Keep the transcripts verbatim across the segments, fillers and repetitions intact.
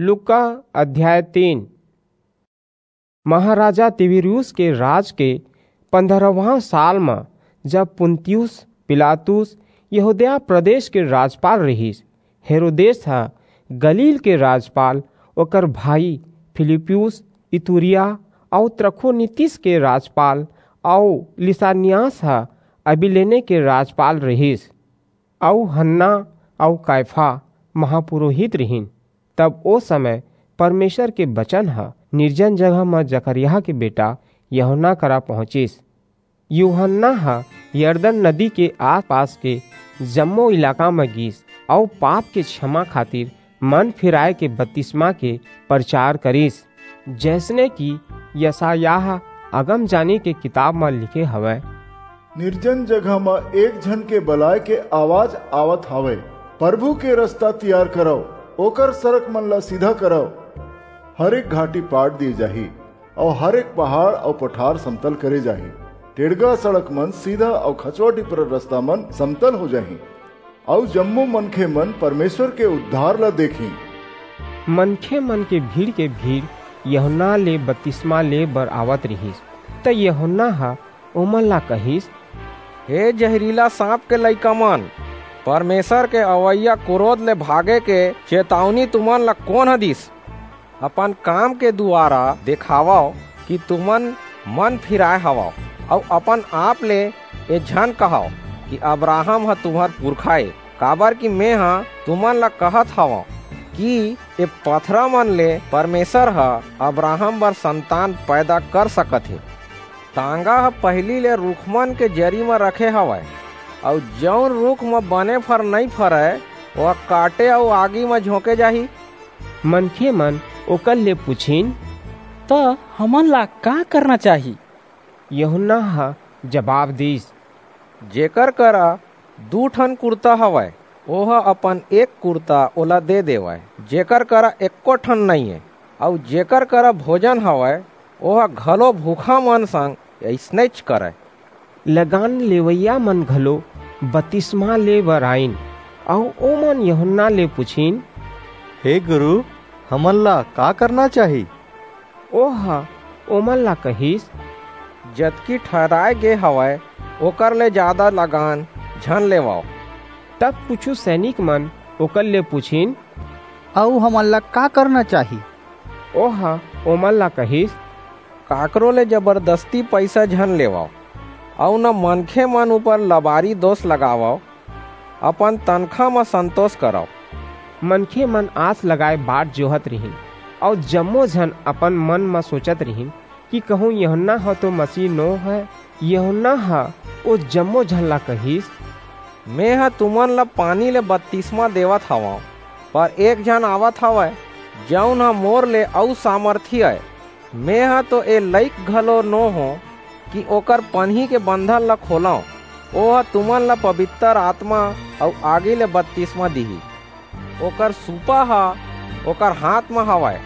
लूका अध्याय तीन। महाराजा तिबिरियुस के राज के पंद्रहवाँ साल म, जब पुन्तियुस पिलातुस यहूदिया प्रदेश के राजपाल रिहिस, हेरोदेस ह गलील के राजपाल, ओकर भाई फिलिप्पुस इतुरिया अऊ त्रखोनीतिस के राजपाल अऊ लिसानियास ह अबिलेने के राजपाल रिहिस। अऊ हन्ना अऊ कायफा महापुरोहित रिहिन। तब ओ समय परमेसर के बचन ह निर्जन जगह म जकरयाह के बेटा यूहन्ना करा पहुँचिस। यूहन्ना ह यरदन नदी के आसपास के जम्मो इलाका म गीस अऊ पाप के छमा खातिर मन फिराय के बतिसमा के परचार करिस, जइसने कि यसायाह अगमजानी के किताब म लिखे हवय। निर्जन जगह म एक झन के बलाय के आवाज आवत हावय, "परभू के रसता तियार करव, ओकर सरक मन ला सीधा करव।" हर एक घाटी पाट दिये जाही, अऊ हर एक पहाड़ अऊ पठार समतल करे जाही। टेड़गा सड़क मन सीधा अऊ खचवा टिपरा रसता मन समतल हो जाही, अऊ जम्मो मनखे मन परमेसर के उद्धार ला देखही। मनखे मन के भीड़ के भीड़ यूहन्ना ले बतिसमा ले बर आवत रिहिस, त यूहन्ना ह ओमन ला कहिस, "हे जहरीला सांप के लइका मन, परमेसर के अवइया कुरोध ले भागे के चेतावनी तुमन ला कोन ह दिस? अपन काम के दुवारा देखावव कि तुमन मन फिराय हवव, अऊ अपन आप ले ए झन कहव कि अब्राहम ह तुम्हर पुरखा ए, काबर कि मेंह तुमन ला कहत हवंव कि ए पथरा मन ले परमेसर ह अब्राहम बर संतान पैदा कर सकत हे। तांगा ह पहिली ले रूखमन के जरी म रखे हवय, अऊ जऊन रूख म बने फर नइं फरय, ओह काटे अऊ आगी म झोंके जाही।" मनखे मन ओकर ले पुछिन, "त हमन ला का करना चाही?" यूहन्ना ह जबाब दीस, "जेकर करा दू ठन कुरता हवय, ओह अपन एक कुरता ओला दे देवय। जेकर करा एक्को ठन नइं ए, अऊ जेकर करा भोजन हवय, ओह घलो भूखा मन संग अइसनेच करय।" लगान लेवइया मन घलो बतिसमा ले बर आईन, अऊ ओमन यूहन्ना ले पुछिन, "हे गुरू, हमन ला का करना चाही?" ओह ओमन ला कहिस, "जतकी ठहराय गे हवय, ओकर ले जादा लगान झन लेवव।" तब कुछू सैनिक मन ओकर ले पुछिन, "अऊ हमन ला का करना चाही?" ओह ओमन ला कहिस, "काकरो ले जबरदस्ती पईसा झन लेवव, अऊ न मनखे मन ऊपर लबारी दोस लगावव, अपन तनखा म संतोस करव।" मनखे मन आस लगाय बाट जोहत रिहिन, अऊ जम्मो झन अपन मन म सोचत रिहिन कि कहूं यूहन्ना ह तो मसीह नो हय। यूहन्ना ह ओ जम्मो झन ला कहिस, "मेंह तुमन ला पानी ले बतिसमा देवत हवंव, पर एक झन आवत हवय, जऊन ह मोर ले अऊ सामरथी अय। मेंह तो ए लइक घलो नो हों कि ओकर पनही के बंधन ला खोलंव। ओह तुमन ला पबितर आतमा अऊ आगी ले बतिसमा दिही। ओकर सूपा ह ओकर हांथ म हवय,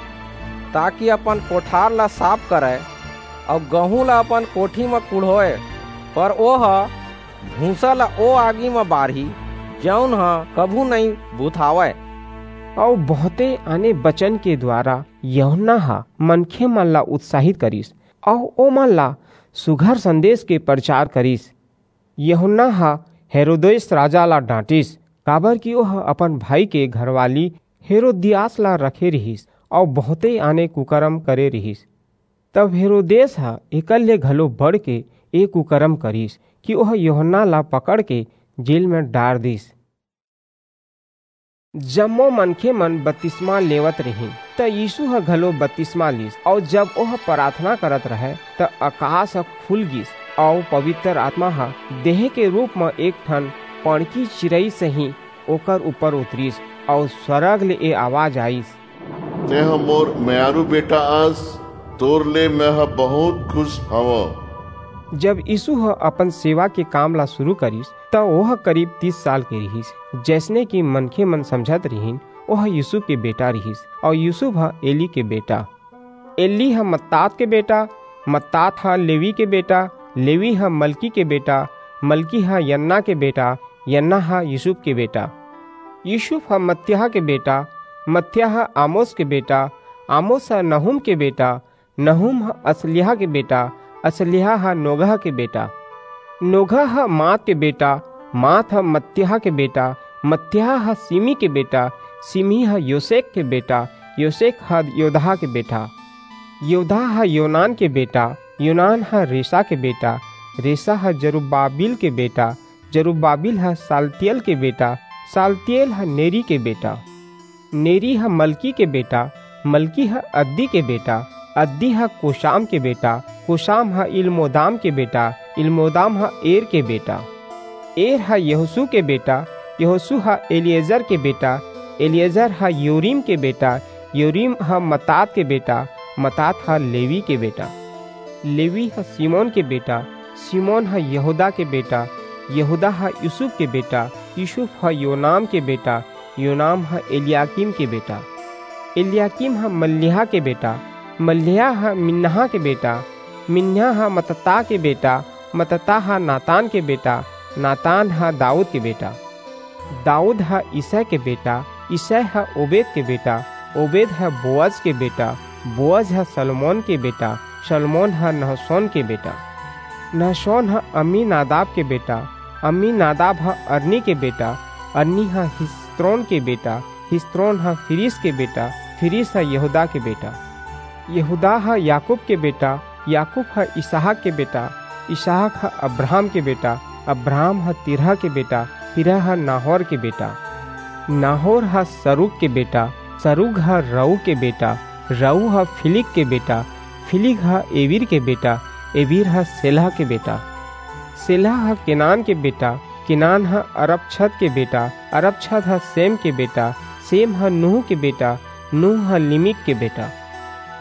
ताकि अपन कोठार ला साफ करय अऊ गहूं ला अपन कोठी म कुढ़ोय, पर ओह भूंसा ला ओ आगी म बारही, जऊन ह कभू नइं बुतावय।" अऊ बहुंते आने बचन के दुवारा यूहन्ना ह मनखे मन ला उत्साहित करिस, अऊ ओमन ला सुघर संदेस के परचार करिस। यूहन्ना ह हेरोदेस राजा ला डांटिस, काबर कि ओह अपन भाई के घरवाली हेरोदियास ला रखे रिहिस, अऊ बहुंते आने कुकरम करे रिहिस। तब हेरोदेस ह एकर ले घलो बढ़के ए कुकरम करिस कि ओह यूहन्ना ला पकड़के जेल म डार दीस। जम्मो मनखे मन बतिसमा लेवत रिहिन, त यीसू ह घलो बतिसमा लीस, अऊ जब ओह पराथना करत रहय, त अकास ह खुल गीस, अऊ पबितर आतमा ह देह के रूप म एक ठन पड़की चिरई सहीं ओकर ऊपर उतरिस, अऊ स्वरग ले ए आवाज आईस, "तेंह मोर मयारू बेटा अस, तोर ले मेंह बहुंत खुस हवंव।" जब यीसू ह अपन सेवा के काम ला सुरू करिस, त ओह करीब तीस साल के रिहिस। जइसने कि मनखे मन समझत रिहिन, ओह यूसुफ के बेटा रिहिस, अऊ यूसुफ ह एली के बेटा, एली ह मत्तात के बेटा, मत्तात ह लेवी के बेटा, लेवी ह मलकी के बेटा, मलकी ह यन्ना के बेटा, यन्ना ह यूसुफ के बेटा, यूसुफ ह मत्तियाह के बेटा, मत्याह आमोस के बेटा, आमोस ह नहूम के बेटा, नहूम ह असल्याह के बेटा, असल्याह ह नोगह के बेटा। नोगह ह मात के बेटा, मात ह मत्याह के बेटा, मत्याह ह सिमी के बेटा, सिमी ह योसेक के बेटा, योसेक ह योदाह के बेटा। योदाह ह योनान के बेटा, योनान ह रेसा के बेटा, रेसा ह जरुब्बाबिल के बेटा, जरुब्बाबिल ह सालतिएल के बेटा, सालतिएल ह नेरी के बेटा। नेरी ह मलकी के बेटा, मलकी ह अद्दी के बेटा, अद्दी ह कोशाम के बेटा, कोशाम ह इलमोदाम के बेटा, इलमोदाम ह एर के बेटा। एर ह यहोसू के बेटा, यहोसू ह एलिएजर के बेटा, एलिएजर ह योरीम के बेटा, योरीम ह मतात के बेटा, मतात ह लेवी के बेटा। लेवी ह सिमोन के बेटा, सिमोन ह यहूदा के बेटा, यहूदा ह यूसुफ के बेटा, यूसुफ ह योनाम के बेटा, योनाम ह एलियाकीम के बेटा। एलियाकीम ह मल्लिहा के बेटा, मल्लिहा ह मिन्नाहा के बेटा, मिन्नाहा ह मतता के बेटा, मतता ह नातान के बेटा, नातान ह दाऊद के बेटा। दाऊद ह इसै के बेटा, इसै ह ओबेद के बेटा, ओबेद ह बोअज के बेटा, बोअज ह सलमोन के बेटा, सलमोन ह नहसोन के बेटा। नहसोन ह अम्मीनादाब के बेटा, अम्मीनादाब ह अरनी के बेटा, अरनी ह हिस्रोन के बेटा, हिस्रोन ह फिरिस के बेटा, फिरिस ह यहूदा के बेटा। यहूदा ह याकूब के बेटा, याकूब ह इसहाक के बेटा, इसहाक ह अब्राहम के बेटा, अब्राहम ह तिरह के बेटा, तिरह ह नाहोर के बेटा। नाहोर ह सरूग के बेटा, सरूग ह रऊ के बेटा, रऊ ह फिलिग के बेटा, फिलिग ह एबीर के बेटा, एबीर ह सेलह के बेटा। सेलह ह केनान के बेटा, केनान ह अरपक्षद के बेटा, अरपक्षद ह सेम के बेटा, सेम ह नूह के बेटा, नूह ह लिमिक के बेटा।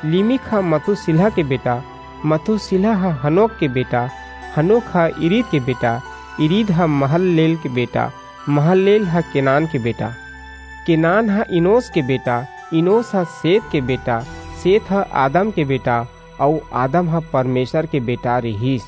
लिमिक ह मथुसिलह के बेटा, मथुसिलह ह हनोक के बेटा, हनोक ह इरीद के बेटा, इरीद ह महललेल के बेटा, महललेल ह केनान के बेटा। केनान ह इनोस के बेटा, इनोस ह सेत के बेटा, सेत ह आदम के बेटा, अऊ आदम ह परमेसर के बेटा रिहिस।